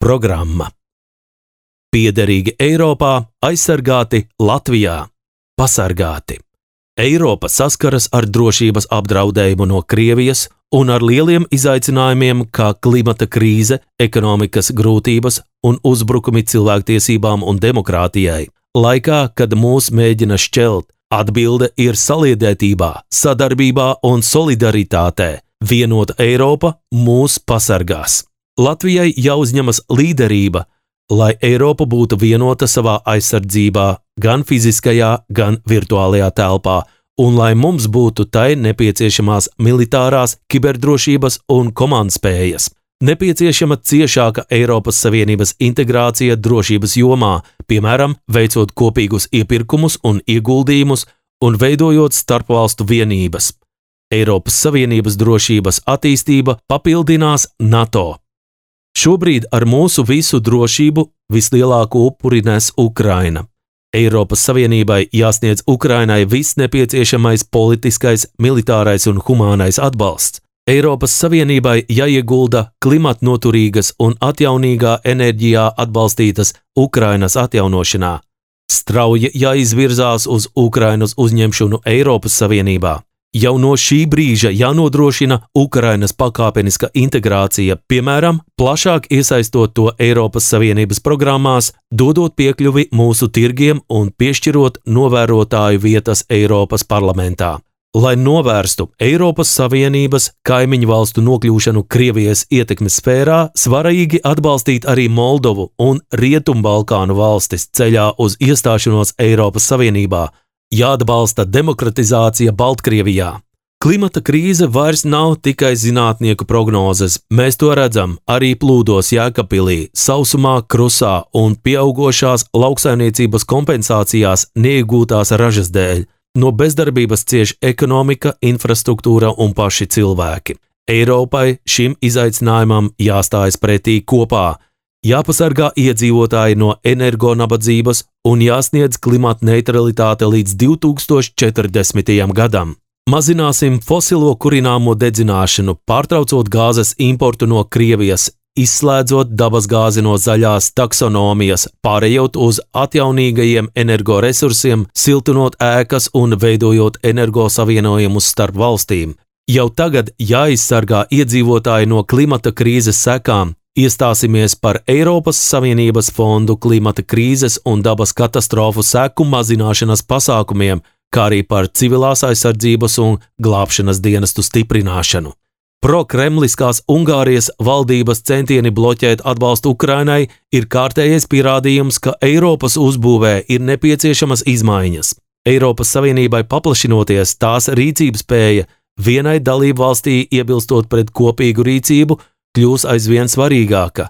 Programma. Piederīgi Eiropā, aizsargāti Latvijā, pasargāti. Eiropa saskaras ar drošības apdraudējumu no Krievijas un ar lieliem izaicinājumiem kā klimata krīze, ekonomikas grūtības un uzbrukumi cilvēktiesībām un demokrātijai. Laikā, kad mūs mēģina šķelt, atbilde ir saliedētībā, sadarbībā un solidaritātē. Vienota Eiropa mūs pasargās. Latvijai jāuzņemas līderība, lai Eiropa būtu vienota savā aizsardzībā, gan fiziskajā, gan virtuālajā telpā, un lai mums būtu tai nepieciešamās militārās, kiberdrošības un komandspējas. Nepieciešama ciešāka Eiropas Savienības integrācija drošības jomā, piemēram, veicot kopīgus iepirkumus un ieguldījumus un veidojot starpvalstu vienības. Eiropas Savienības drošības attīstība papildinās NATO. Šobrīd ar mūsu visu drošību vislielāko upuri nes Ukraina. Eiropas Savienībai jāsniedz Ukrainai viss nepieciešamais politiskais, militārais un humānais atbalsts. Eiropas Savienībai jāiegulda klimatnoturīgas un atjaunīgā enerģijā atbalstītas Ukrainas atjaunošanā. Strauji jāizvirzās uz Ukrainas uzņemšanu Eiropas Savienībā. Jau no šī brīža jānodrošina Ukrainas pakāpeniska integrācija, piemēram, plašāk iesaistot to Eiropas Savienības programmās, dodot piekļuvi mūsu tirgiem un piešķirot novērotāju vietas Eiropas parlamentā. Lai novērstu Eiropas Savienības kaimiņu valstu nokļūšanu Krievijas ietekmes sfērā, svarīgi atbalstīt arī Moldovu un Rietumbalkānu valstis ceļā uz iestāšanos Eiropas Savienībā. Jāatbalsta demokratizācija Baltkrievijā. Klimata krīze vairs nav tikai zinātnieku prognozes. Mēs to redzam arī plūdos Jēkabpilī, sausumā, Krusā un pieaugošās lauksaimniecības kompensācijās neiegūtās ražas dēļ. No bezdarbības cieš ekonomika, infrastruktūra un paši cilvēki. Eiropai šim izaicinājumam jāstājas pretī kopā. Jāpasargā iedzīvotāji no energonabadzības un jāsniedz klimata neutralitāte līdz 2040. gadam. Mazināsim fosilo kurināmo dedzināšanu, pārtraucot gāzes importu no Krievijas, izslēdzot dabasgāzi no zaļās taksonomijas, pārējot uz atjaunīgajiem energoresursiem, siltinot ēkas un veidojot energosavienojumus starp valstīm. Jau tagad jāizsargā iedzīvotāji no klimata krīzes sekām. Iestāsimies par Eiropas Savienības fondu klimata krīzes un dabas katastrofu seku mazināšanas pasākumiem, kā arī par civilās aizsardzības un glābšanas dienestu stiprināšanu. Prokremliskās Ungārijas valdības centieni bloķēt atbalstu Ukrainai ir kārtējais pierādījums, ka Eiropas uzbūvē ir nepieciešamas izmaiņas. Eiropas Savienībai paplašinoties, tās rīcības spēja vienai dalību valstī iebilstot pret kopīgu rīcību kļūs aizvien svarīgāka.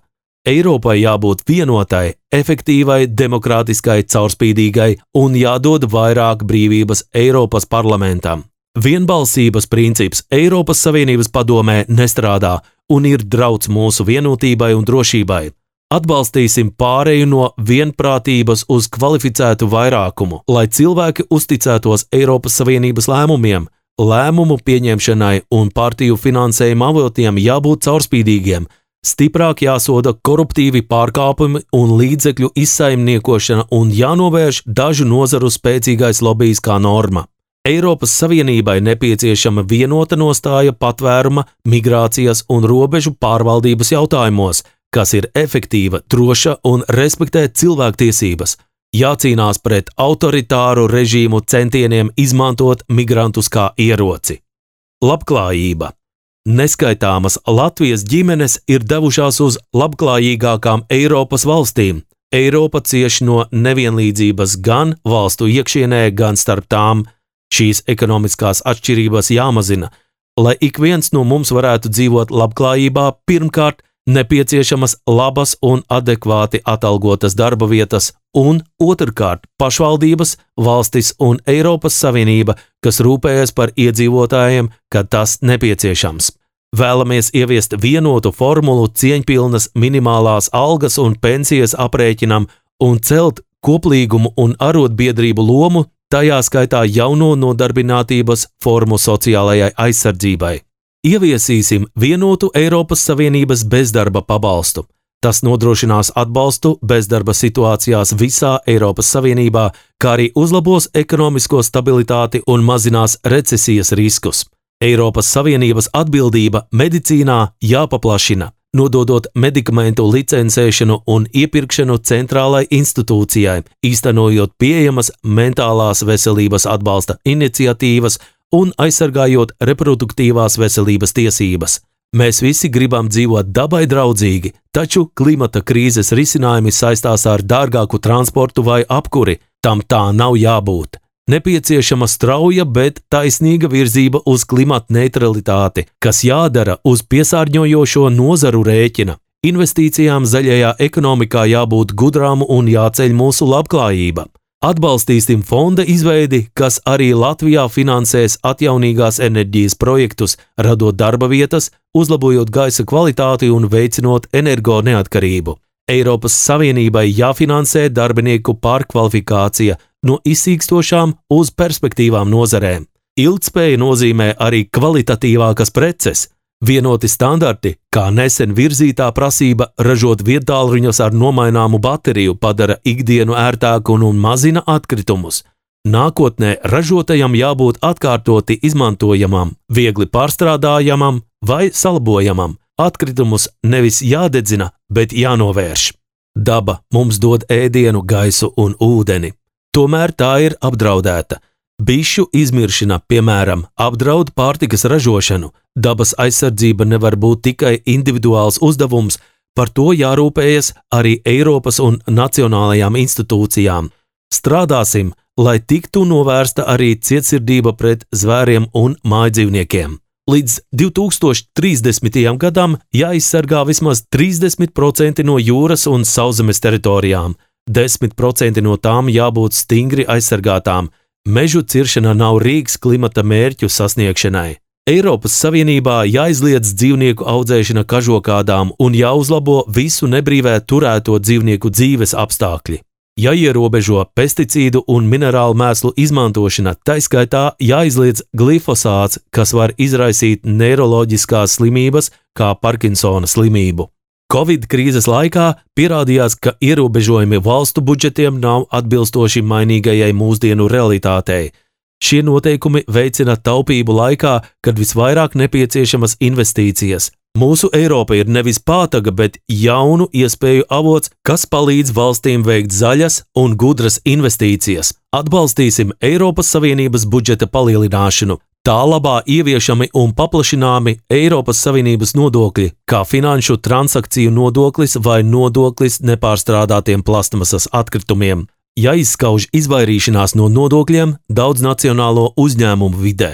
Eiropai jābūt vienotai, efektīvai, demokrātiskai, caurspīdīgai un jādod vairāk brīvības Eiropas parlamentam. Vienbalsības princips Eiropas Savienības padomē nestrādā un ir drauds mūsu vienotībai un drošībai. Atbalstīsim pāreju no vienprātības uz kvalificētu vairākumu, lai cilvēki uzticētos Eiropas Savienības lēmumiem. Lēmumu pieņemšanai un partiju finansējuma avotiem jābūt caurspīdīgiem, stiprāk jāsoda koruptīvi pārkāpumi un līdzekļu izsaimniekošana un jānovērš dažu nozaru spēcīgais lobijs kā norma. Eiropas Savienībai nepieciešama vienota nostāja patvēruma, migrācijas un robežu pārvaldības jautājumos, kas ir efektīva, droša un respektē cilvēktiesības. Jācīnās pret autoritāru režīmu centieniem izmantot migrantus kā ieroci. Labklājība. Neskaitāmas Latvijas ģimenes ir devušās uz labklājīgākām Eiropas valstīm. Eiropa cieš no nevienlīdzības gan valstu iekšienē, gan starp tām. Šīs ekonomiskās atšķirības jāmazina. Lai ik viens no mums varētu dzīvot labklājībā, pirmkārt, nepieciešamas labas un adekvāti atalgotas darba vietas, un otrkārt pašvaldības, valstis un Eiropas Savienība, kas rūpējas par iedzīvotājiem, kad tas nepieciešams. Vēlamies ieviest vienotu formulu cieņpilnas minimālās algas un pensijas aprēķinam un celt koplīgumu un arotbiedrību lomu, tajā skaitā jauno nodarbinātības formu sociālajai aizsardzībai. Ieviesīsim vienotu Eiropas Savienības bezdarba pabalstu. Tas nodrošinās atbalstu bezdarba situācijās visā Eiropas Savienībā, kā arī uzlabos ekonomisko stabilitāti un mazinās recesijas riskus. Eiropas Savienības atbildība medicīnā jāpaplašina, nododot medikamentu licencēšanu un iepirkšanu centrālai institūcijai, īstenojot pieejamas mentālās veselības atbalsta iniciatīvas un aizsargājot reproduktīvās veselības tiesības. Mēs visi gribam dzīvot dabai draudzīgi, taču klimata krīzes risinājumi saistās ar dārgāku transportu vai apkuri. Tam tā nav jābūt. Nepieciešama strauja, bet taisnīga virzība uz klimata neutralitāti, kas jādara uz piesārņojošo nozaru rēķina. Investīcijām zaļajā ekonomikā jābūt gudrām un jāceļ mūsu labklājība. Atbalstīsim fonda izveidi, kas arī Latvijā finansēs atjaunīgās enerģijas projektus, radot darba vietas, uzlabojot gaisa kvalitāti un veicinot energo neatkarību. Eiropas Savienībai jāfinansē darbinieku pārkvalifikācija no izsīkstošām uz perspektīvām nozarēm. Ilgtspēja nozīmē arī kvalitatīvākas preces. Vienoti standarti, kā nesen virzītā prasība ražot viedtālruņus ar nomaināmu bateriju, padara ikdienu ērtāku un mazina atkritumus. Nākotnē ražotajam jābūt atkārtoti izmantojamam, viegli pārstrādājamam vai salabojamam. Atkritumus nevis jādedzina, bet jānovērš. Daba mums dod ēdienu, gaisu un ūdeni. Tomēr tā ir apdraudēta. Bišu izmiršana, piemēram, apdraud pārtikas ražošanu. Dabas aizsardzība nevar būt tikai individuāls uzdevums, par to jārūpējas arī Eiropas un nacionālajām institūcijām. Strādāsim, lai tiktu novērsta arī cietsirdība pret zvēriem un mājdzīvniekiem. Līdz 2030. gadam jāizsargā vismaz 30% no jūras un sauszemes teritorijām, 10% no tām jābūt stingri aizsargātām. Mežu ciršana nav rīks klimata mērķu sasniegšanai. Eiropas Savienībā jāizliedz dzīvnieku audzēšana kažokādām un jāuzlabo visu nebrīvē turēto dzīvnieku dzīves apstākļi. Jāierobežo pesticīdu un minerālu mēslu izmantošana, taiskaitā jāizliedz glifosāts, kas var izraisīt neiroloģiskās slimības kā Parkinsona slimību. Covid krīzes laikā pierādījās, ka ierobežojumi valstu budžetiem nav atbilstoši mainīgajai mūsdienu realitātei. Šie noteikumi veicina taupību laikā, kad visvairāk nepieciešamas investīcijas. Mūsu Eiropa ir nevis pātaga, bet jaunu iespēju avots, kas palīdz valstīm veikt zaļas un gudras investīcijas. Atbalstīsim Eiropas Savienības budžeta palielināšanu. Tā labā ieviešami un paplašināmi Eiropas Savienības nodokļi, kā finanšu transakciju nodoklis vai nodoklis nepārstrādātiem plastmasas atkritumiem. Jāizskauž izvairīšanās no nodokļiem daudznacionālo uzņēmumu vidē.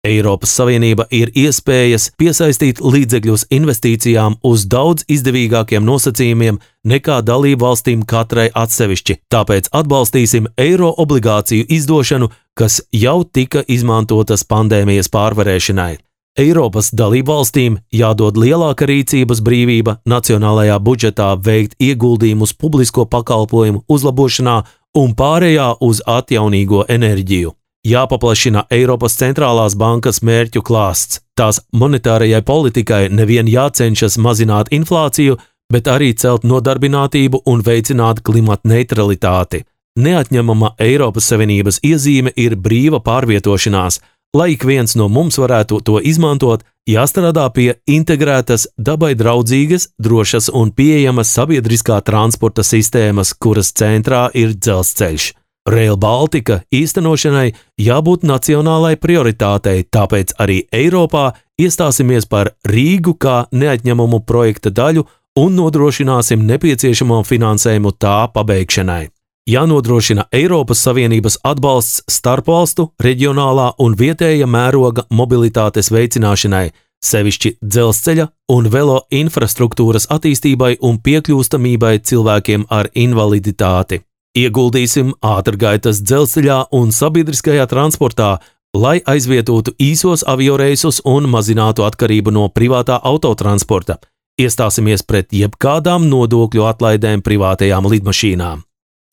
Eiropas Savienība ir iespējas piesaistīt līdzekļus investīcijām uz daudz izdevīgākiem nosacījumiem nekā dalību valstīm katrai atsevišķi, tāpēc atbalstīsim eiro obligāciju izdošanu, kas jau tika izmantotas pandēmijas pārvarēšanai. Eiropas dalību valstīm jādod lielāka rīcības brīvība nacionālajā budžetā veikt ieguldījumus publisko pakalpojumu uzlabošanā un pārējā uz atjaunīgo enerģiju. Jāpaplašina Eiropas centrālās bankas mērķu klāsts. Tās monetārajai politikai nevien jācenšas mazināt inflāciju, bet arī celt nodarbinātību un veicināt klimata neutralitāti. Neatņemama Eiropas Savienības iezīme ir brīva pārvietošanās. Lai ik viens no mums varētu to izmantot, jāstrādā pie integrētas, dabai draudzīgas, drošas un pieejamas sabiedriskā transporta sistēmas, kuras centrā ir dzelzceļš. Rail Baltica īstenošanai jābūt nacionālai prioritātei, tāpēc arī Eiropā iestāsimies par Rīgu kā neatņemumu projekta daļu un nodrošināsim nepieciešamo finansējumu tā pabeigšanai. Jānodrošina Eiropas Savienības atbalsts starpvalstu, reģionālā un vietēja mēroga mobilitātes veicināšanai, sevišķi dzelzceļa un velo infrastruktūras attīstībai un piekļūstamībai cilvēkiem ar invaliditāti. Ieguldīsim ātrgaitas dzelzceļā un sabiedriskajā transportā, lai aizvietotu īsos avioreisus un mazinātu atkarību no privātā autotransporta. Iestāsimies pret jebkādām nodokļu atlaidēm privātajām lidmašīnām.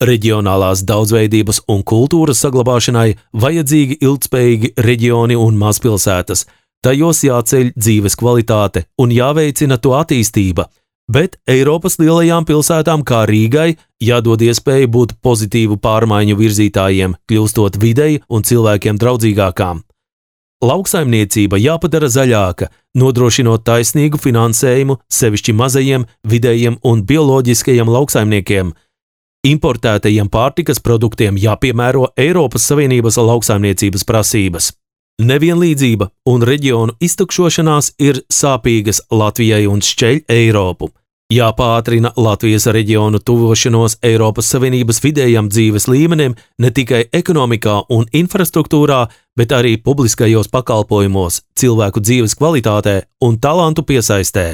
Reģionālās daudzveidības un kultūras saglabāšanai vajadzīgi ilgtspējīgi reģioni un mazpilsētas. Tajos jāceļ dzīves kvalitāte un jāveicina to attīstība. bet Eiropas lielajām pilsētām kā Rīgai jādod iespēja būt pozitīvu pārmaiņu virzītājiem, kļūstot videi un cilvēkiem draudzīgākām. Lauksaimniecība jāpadara zaļāka, nodrošinot taisnīgu finansējumu sevišķi mazajiem, vidējiem un bioloģiskajiem lauksaimniekiem. Importētajiem pārtikas produktiem jāpiemēro Eiropas Savienības lauksaimniecības prasības. Nevienlīdzība un reģionu iztukšošanās ir sāpīgas Latvijai un šķeļ Eiropu. Jāpātrina Latvijas reģionu tuvošanos Eiropas Savienības vidējam dzīves līmenim ne tikai ekonomikā un infrastruktūrā, bet arī publiskajos pakalpojumos, cilvēku dzīves kvalitātē un talantu piesaistē.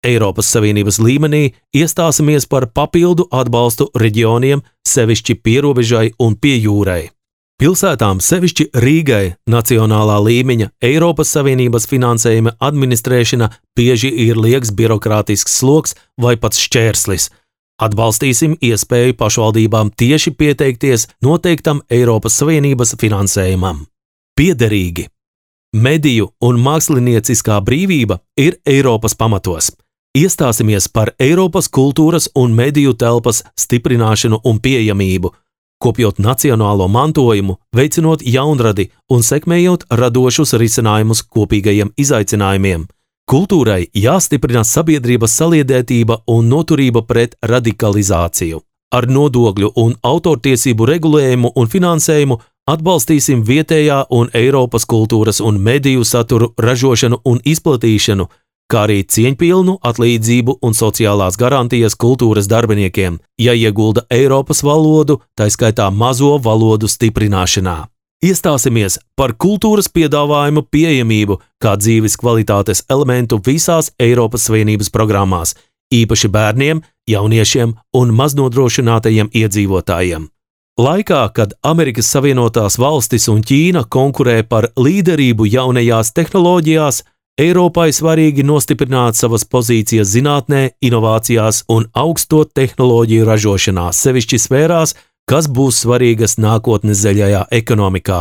Eiropas Savienības līmenī iestāsimies par papildu atbalstu reģioniem, sevišķi pierobežai un pie jūrai. Pilsētām, sevišķi Rīgai, nacionālā līmeņa Eiropas Savienības finansējuma administrēšana bieži ir liekas birokrātisks sloks vai pat šķērslis. Atbalstīsim iespēju pašvaldībām tieši pieteikties noteiktam Eiropas Savienības finansējumam. Piederīgi. Mediju un mākslinieciskā brīvība ir Eiropas pamatos. Iestāsimies par Eiropas kultūras un mediju telpas stiprināšanu un pieejamību, kopjot nacionālo mantojumu, veicinot jaunradi un sekmējot radošus risinājumus kopīgajiem izaicinājumiem. Kultūrai jāstiprina sabiedrības saliedētība un noturība pret radikalizāciju. Ar nodokļu un autortiesību regulējumu un finansējumu atbalstīsim vietējā un Eiropas kultūras un mediju saturu ražošanu un izplatīšanu, kā arī cieņpilnu atlīdzību un sociālās garantijas kultūras darbiniekiem, jāiegulda Eiropas valodu, tā skaitā mazo valodu stiprināšanā. Iestāsimies par kultūras piedāvājumu pieejamību kā dzīves kvalitātes elementu visās Eiropas Savienības programmās, īpaši bērniem, jauniešiem un maznodrošinātajiem iedzīvotājiem. Laikā, kad Amerikas Savienotās valstis un Ķīna konkurē par līderību jaunajās tehnoloģijās, Eiropai svarīgi nostiprināt savas pozīcijas zinātnē, inovācijās un augsto tehnoloģiju ražošanā, sevišķi sfērās, kas būs svarīgas nākotnes zaļajā ekonomikā.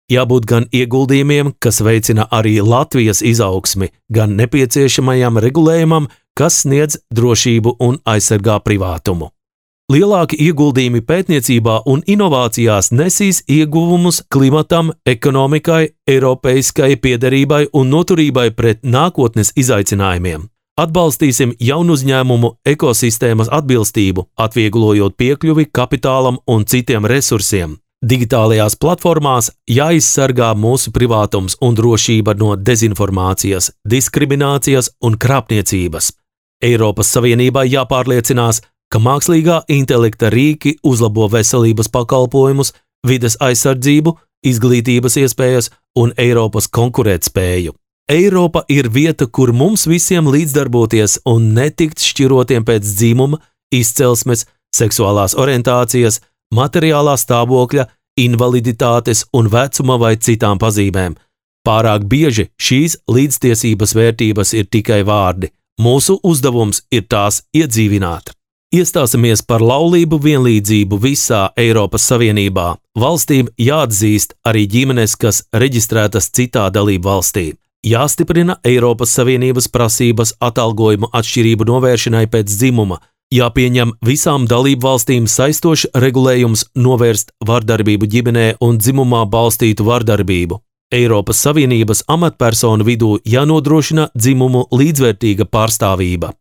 Jābūt gan ieguldījumiem, kas veicina arī Latvijas izaugsmi, gan nepieciešamajam regulējumam, kas sniedz drošību un aizsargā privātumu. Lielāki ieguldījumi pētniecībā un inovācijās nesīs ieguvumus klimatam, ekonomikai, eiropeiskai piederībai un noturībai pret nākotnes izaicinājumiem. Atbalstīsim jaunu uzņēmumu ekosistēmas atbilstību, atvieglojot piekļuvi kapitālam un citiem resursiem. Digitālajās platformās jāizsargā mūsu privātums un drošība no dezinformācijas, diskriminācijas un krāpniecības. Eiropas Savienībai jāpārliecinās, ka mākslīgā intelekta rīki uzlabo veselības pakalpojumus, vides aizsardzību, izglītības iespējas un Eiropas konkurētspēju. Eiropa ir vieta, kur mums visiem līdzdarboties un netikt šķirotiem pēc dzimuma, izcelsmes, seksuālās orientācijas, materiālā stāvokļa, invaliditātes un vecuma vai citām pazīmēm. Pārāk bieži šīs līdztiesības vērtības ir tikai vārdi. Mūsu uzdevums ir tās iedzīvināt. Iestāsimies par laulību vienlīdzību visā Eiropas Savienībā. Valstīm jāatzīst arī ģimenes, kas reģistrētas citā dalību valstī. Jāstiprina Eiropas Savienības prasības atalgojumu atšķirību novēršanai pēc dzimuma. Jāpieņem visām dalību valstīm saistošs regulējums novērst vardarbību ģimenē un dzimumā balstītu vardarbību. Eiropas Savienības amatpersonu vidū jānodrošina dzimumu līdzvērtīga pārstāvība.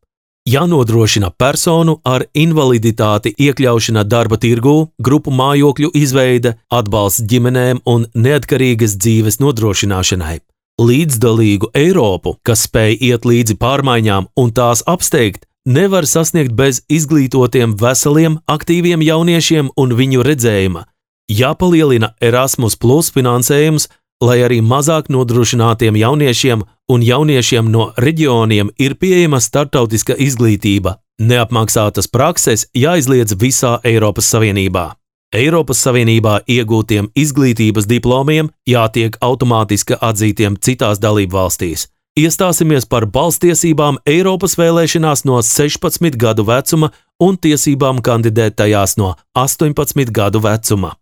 Jānodrošina personu ar invaliditāti iekļaušana darba tirgū, grupu mājokļu izveide, atbalsts ģimenēm un neatkarīgas dzīves nodrošināšanai. Līdzdalīgu Eiropu, kas spēj iet līdzi pārmaiņām un tās apsteigt, nevar sasniegt bez izglītotiem, veseliem, aktīviem jauniešiem un viņu redzējuma. Jāpalielina Erasmus+ finansējums, lai arī mazāk nodrošinātiem jauniešiem un jauniešiem no reģioniem ir pieejama starptautiska izglītība. Neapmaksātas prakses jāizliedz visā Eiropas Savienībā. Eiropas Savienībā iegūtiem izglītības diplomiem jātiek automātiski atzītiem citās dalību valstīs. Iestāsimies par balsstiesībām Eiropas vēlēšanās no 16 gadu vecuma un tiesībām kandidēt tajās no 18 gadu vecuma.